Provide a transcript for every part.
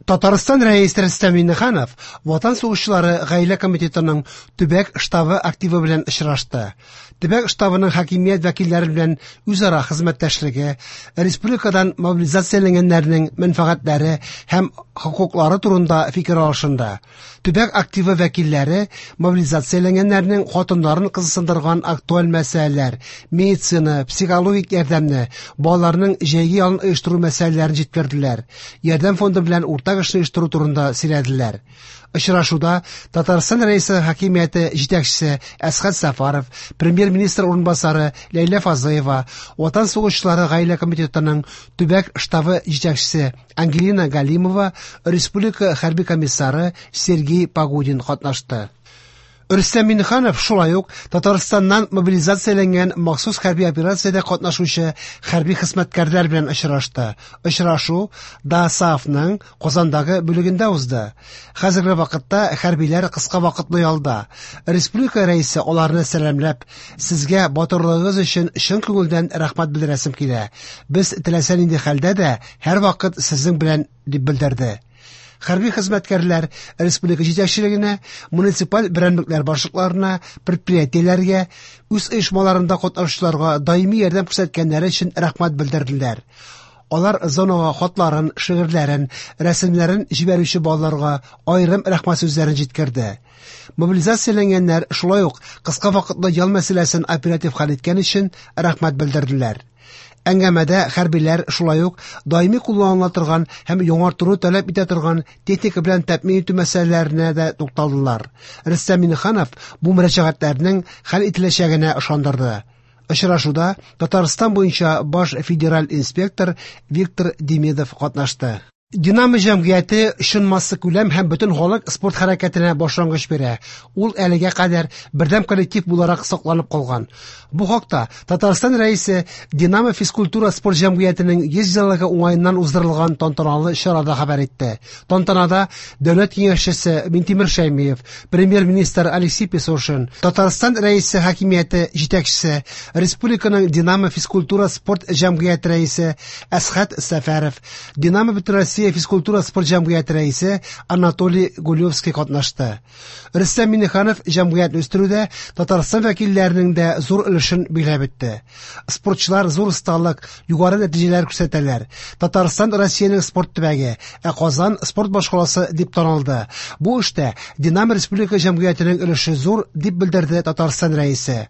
Татарстан Рәисе Рөстәм Миңнеханов Ватан сугышчылары гаилә комитетының төбәк штабы активы белән очрашты. Төбәк штабының хакимият вәкилләре белән үзара хезмәттәшлеге, республикадан мобилизацияләнгәннәрнең мәнфәгатьләре һәм хокуклары турында фикер алышынды. Төбәк активы вәкилләре мобилизацияләнгәннәрнең хатыннарын кызыксындырган актуаль мәсьәләләр, медицина, психологик ярдәмне, балаларның җәйге ялын оештыру мәсьәләләрен җиткерделәр. Ярдәм фонды белән уртак эшне оештыру турында сөйләделәр. Очрашуда Татарстан Рәисе хакимияте җитәкчесе Әсхәт Сәфәров, премьер-министр урынбасары Ләйлә Фазлыева, Ватан сугышчылары гаилә комитетының төбәк штабы җитәкчесе Ангелина Галимова, республика хәрби комиссары Сергей Погодин катнашты. Рөстәм Миңнеханов шулай ук Татарстаннан мобилизацияләнгән махсус хәрби операциядә катнашучы хәрби хезмәткәрләр белән очрашты. Очрашу ДОСААФның Казандагы бүлегендә узды. Хәзерге вакытта хәрбиләр кыска вакытлы ялда. Республика рәисе аларны сәламләп, "Сезгә батырлыгыгыз өчен чын күңелдән рәхмәт белдерәсем килә. Без теләсә нинди хәлдә дә һәрвакыт сезнең белән", дип белдерде. Хәрби хезмәткәрләр республика җитәкчелегенә, муниципаль берәмлекләр башлыкларына, предприятиеләргә, үз оешмаларында катнашучыларга даими ярдәм күрсәткәннәре өчен рәхмәт белдерделәр. Алар зонага хатларын, шигырьләрен, рәсемнәрен җибәрүче балаларга аерым рәхмәт сүзләрен җиткерде. Мобилизацияләнгәннәр шулай ук кыска вакытлы ял мәсьәләсен оператив хәл иткән өчен рәхмәт белдерделәр. Әңгәмәдә хәрбиләр шулай ук даими кулланыла торган һәм яңартуны таләп итә торган техника белән тәэмин итү мәсьәләләренә дә тукталдылар. Рөстәм Миңнеханов бу мөрәҗәгатьләрнең хәл ителәчәгенә ышандырды. Очрашуда Татарстан буенча баш федераль инспектор Виктор Демидов катнашты. Динамо җәмгыяте чын массакүләм һәм бөтен халык спорт хәрәкәтенә башлангыч бирә. Ул әлегә кадәр бердәм коллектив буларак сакланып калган. Бу хакта Татарстан Рәисе Динамо физкультура спорт җәмгыятенең 100 еллыгы уңаеннан уздырылган тантаналы чарада хәбәр итте. Тантанада Дәүләт киңәшчесе Минтимер Шәймиев, премьер-министр Алексей Песошин, Татарстан Рәисе хакимияте җитәкчесе, республиканың Динамо физкультура спорт җәмгыяте рәисе Әсхәт Сәфәров, Динамо Бөтенроссия физкультура спорт җәмгыяте рәисе Анатолий Гулевский катнашты. Рөстәм Миңнеханов җәмгыятьне үстерүдә Татарстан вәкилләренең дә зур өлешен биләп үтте. Спортчылар зур осталык, югары нәтиҗәләр күрсәтәләр. Татарстан Россиянең спорт төбәге, ә Казан спорт башкаласы дип танылды. Бу эштә Динамо республика җәмгыятенең өлеше зур, дип белдерде Татарстан рәисе.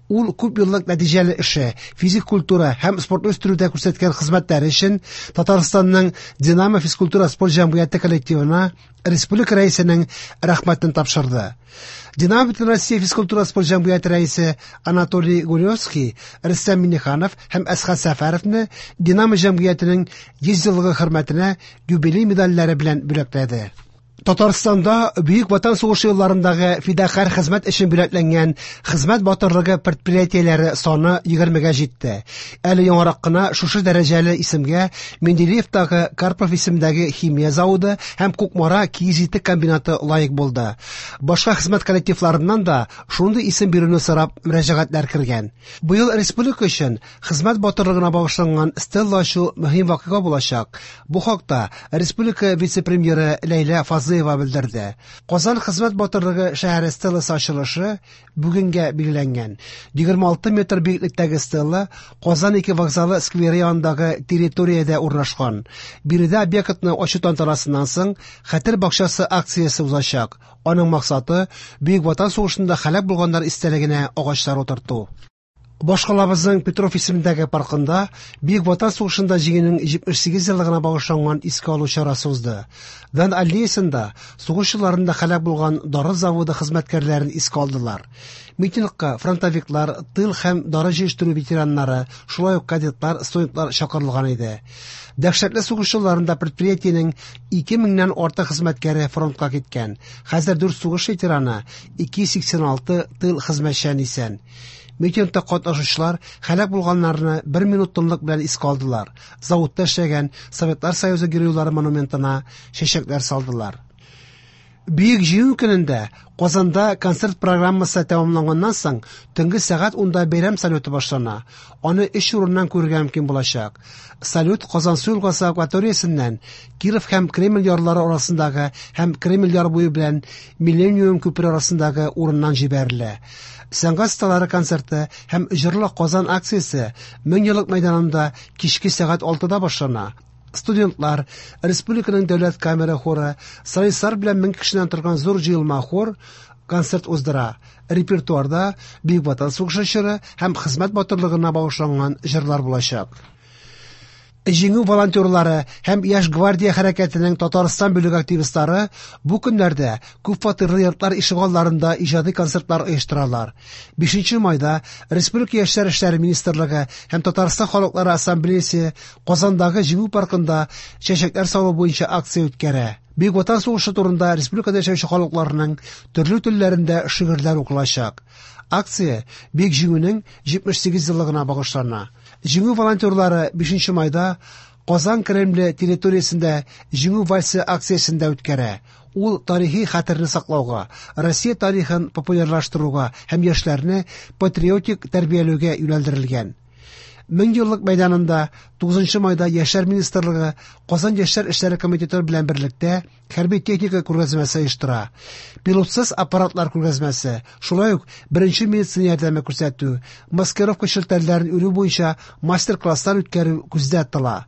Ул күп еллык нәтиҗәле эше, физик культура һәм спортны үстерүдә күрсәткән хезмәтләре өчен Татарстанның Динамо физкультура спорт җәмгыяте коллективына республика рәисенең рәхмәтен тапшырды. Динамо Бөтенроссия физкультура спорт җәмгыяте рәисе Анатолий Гулевский, Рөстәм Миңнеханов һәм Әсхәт Сәфәровны Динамо җәмгыятенең 100 еллыгы хөрмәтенә юбилей медальләре белән бүләкләде. Татарстанда Бөек Ватан сугышы елларындагы фидакарь хезмәт өчен бүләкләнгән хезмәт батырлыгы предприятиеләре саны 20-гә җитте. Әле яңарак кына шушы дәрәҗәле исемгә Менделеевтагы Карпов исемендәге химия заводы һәм Кукмара киез итек комбинаты лаек булды. Башка хезмәт коллективларыннан да шундый исем бирүне сорап мөрәҗәгатьләр кергән. Быел республика өчен хезмәт батырлыгына багышланган стелла ачу мөһим вакыйга булачак. Бу хакта республика вице-премьеры Ләйлә Фазлыева белдерде. Казан хезмәт батырлыгы шәһәре стелласы ачылышы бүгенгә билгеләнгән. 26 метр биеклектәге стелла Казан 2 вокзалы скверы янындагы территориядә урнашкан. Биредә объектны ачу тантанасыннан соң Хәтер бакчасы акциясе узачак. Аның максаты Бөек Ватан сугышында һәлак булганнар истәлегенә агачлар утырту. Башкалабызның Петров исемендәге паркында Бөек Ватан сугышында җиңүнең 78 еллыгына багышланган искә алу чарасы узды. Дан аллеясында сугыш елларында һәлак булган дары заводы хезмәткәрләрен искә алдылар. Митингка фронтовиклар, тыл һәм дары җыештыру ветераннары, шулай ук кадетлар, студентлар чакырылган иде. Дәһшәтле сугыш елларында предприятиенең 2000-нән артык хезмәткәре фронтка киткән. Хәзер 4 сугыш ветераны, 286 тыл хезмәтчән исән. Митингта катнашучылар һәлак булганнарны бер минут тынлык белән искә алдылар. Заводта эшләгән Советлар Союзы геройлары монументына чәчәкләр салдылар. Бөек Җиңү көнендә Казанда концерт программасы тәмамланганнан соң төнге сәгать 10-да бәйрәм салюты башлана. Аны өч урыннан күрергә мөмкин булачак. Салют Казансу елгасы акваториясеннән Киров һәм Кремль ярлары арасындагы һәм Кремль яр буе белән Миллениум күпере арасындагы урыннан җибәрелә. Сәнгать осталары концерты һәм Җырла Казан акциясе Меңьеллык мәйданында кичке сәгать 6-да башлана. Студентлар, республиканың дәүләт камера хоры, солистлар белән 1000 кешедән торган зур җыелма хор концерт уздыра. Репертуарда Бөек Ватан сугышы чоры һәм хезмәт батырлыгына багышланган җырлар булачак. Җиңү волонтерлары һәм Яшь гвардия хәрәкәтенең Татарстан бүлеге активистлары бу көннәрдә күпфатирлы йортлар ишегалларында иҗади концертлар оештыралар. 5 майда Республика яшьләр эшләре министрлыгы һәм Татарстан халыклары ассамблеясы Казандагы Җиңү паркында чәчәкләр салу буенча акция үткәрә. Бөек Ватан сугышы турында республикада яшәүче халыкларның төрле телләрендә шигырьләр укылачак. Акция Бөек Җиңүнең 78 еллыгына багышлана. Җиңү волонтерлары 5 майда Казан Кремле территориясендә Җиңү вальсы акциясен дә үткәрә. Ул тарихи хәтерне саклауга, Россия тарихын популярлаштыруга һәм яшьләрне патриотик тәрбияләүгә юнәлдерелгән. Меңьеллык мәйданында 9 майда Яшьләр министрлыгы Казан яшьләр эшләре комитеты белән берлектә хәрби техника күргәзмәсе оештыра. Пилотсыз аппаратлар күргәзмәсе, шулай ук беренче медицина ярдәме күрсәтү, маскировка челтәрләрен үрү буенча мастер-класслар үткәрү күздә тотыла.